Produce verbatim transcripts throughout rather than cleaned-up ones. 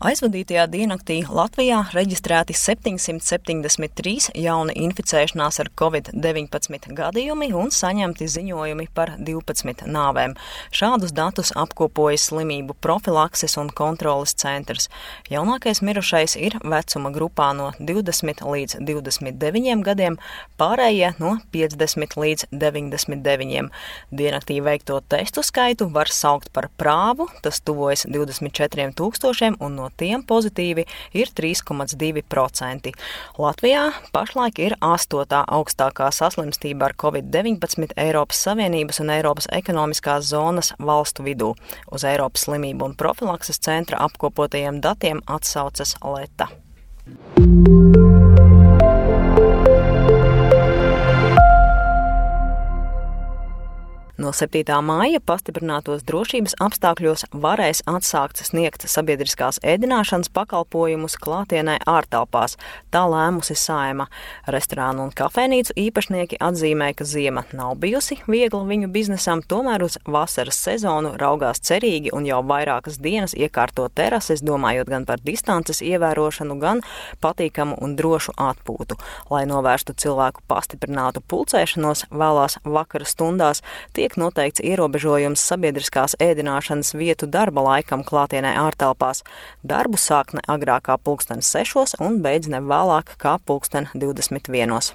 Aizvadītajā diennaktī Latvijā reģistrēti septiņsimt septiņdesmit trīs jauni inficēšanās ar covid deviņpadsmit gadījumi un saņemti ziņojumi par divpadsmit nāvēm. Šādus datus apkopojas slimību profilakses un kontroles centrs. Jaunākais mirušais ir vecuma grupā no divdesmit līdz divdesmit deviņiem gadiem, pārējie no piecdesmit līdz deviņdesmit deviņiem. Diennaktī veikto testu skaitu var saukt par prāvu, tas tuvojas divdesmit četriem tūkstošiem un no tiem pozitīvi ir trīs komats divi procenti. Latvijā pašlaik ir astotā augstākā saslimstība ar covid deviņpadsmit Eiropas Savienības un Eiropas ekonomiskās zonas valstu vidū. Uz Eiropas slimību un profilakses centra apkopotajiem datiem atsaucas Leta. No septītā māja pastiprinātos drošības apstākļos varēs atsākt sniegt sabiedriskās ēdināšanas pakalpojumus klātienē ārtelpās. Tā lēmusi Saeima. Restorānu un kafejnīcu īpašnieki atzīmē, ka ziema nav bijusi viegla viņu biznesam, tomēr uz vasaras sezonu raugās cerīgi un jau vairākas dienas iekārto terases, domājot gan par distances ievērošanu, gan patīkamu un drošu atpūtu. Lai novērstu cilvēku pastiprinātu pulcēšanos vēlās vakara stundās, tiek noteikts ierobežojums sabiedriskās ēdināšanas vietu darba laikam klātienē ārtelpās. Darbu sāk ne agrāk kā pulksten sešos un beidz ne vēlāk kā pulksten divdesmit vienos.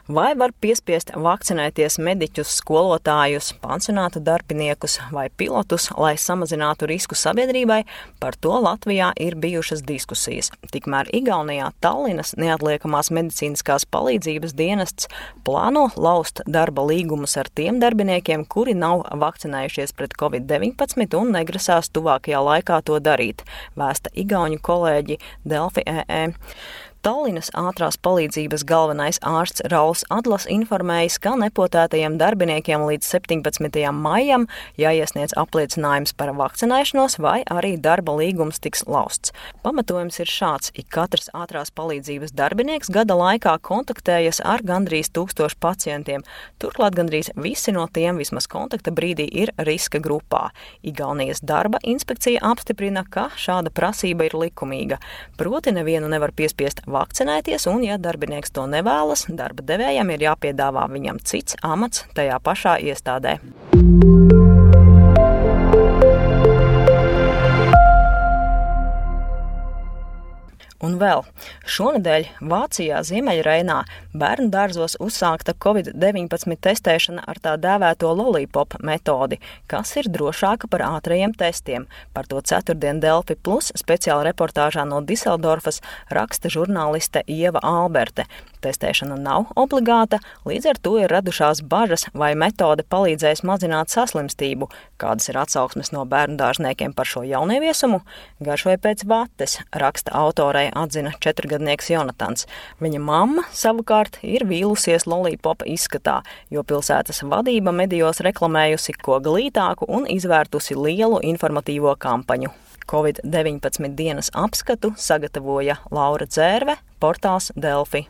Vai var piespiest vakcinēties mediķus, skolotājus, pansionāta darbiniekus vai pilotus, lai samazinātu risku sabiedrībai? Par to Latvijā ir bijušas diskusijas. Tikmēr Igaunijā Tallinas neatliekamās medicīniskās palīdzības dienests plāno laust darba līgumus ar tiem darbiniekiem, kuri nav vakcinējušies pret covid deviņpadsmit un negrasās tuvākajā laikā to darīt, vēsta igauņu kolēģi Delfi E E. Tallinas ātrās palīdzības galvenais ārsts Rauls Adlas informējis, ka nepotētajiem darbiniekiem līdz septiņpadsmitajam maijam jāiesniedz apliecinājums par vakcinēšanos vai arī darba līgums tiks lausts. Pamatojums ir šāds: ik katrs ātrās palīdzības darbinieks gada laikā kontaktējas ar gandrīz tūkstošu pacientiem. Turklāt gandrīz visi no tiem vismaz kontakta brīdī ir riska grupā. Igaunijas darba inspekcija apstiprina, ka šāda prasība ir likumīga. Proti nevienu nevar piespiest vakcinēties, un, ja darbinieks to nevēlas, darba devējam ir jāpiedāvā viņam cits amats tajā pašā iestādē. Un vēl, šonedēļ Vācijā Ziemeļreinā bērnu dārzos uzsākta covid deviņpadsmit testēšana ar tā dēvēto lollipop metodi, kas ir drošāka par ātrajiem testiem. Par to ceturtdien Delfi Plus speciāla reportāžā no Diseldorfas raksta žurnāliste Ieva Alberte. Testēšana nav obligāta, līdz ar to ir radušās bažas, vai metode palīdzēs mazināt saslimstību. Kādas ir atsauksmes no bērnu dārzniekiem par šo jaunieviesumu? Garšoja pēc vates, raksta autorei atzina četrgadnieks Jonatans. Viņa mamma savukārt ir vīlusies lollipopa izskatā, jo pilsētas vadība medijos reklamējusi ko glītāku un izvērtusi lielu informatīvo kampaņu. covid deviņpadsmit dienas apskatu sagatavoja Laura Dzērve, portāls Delfi.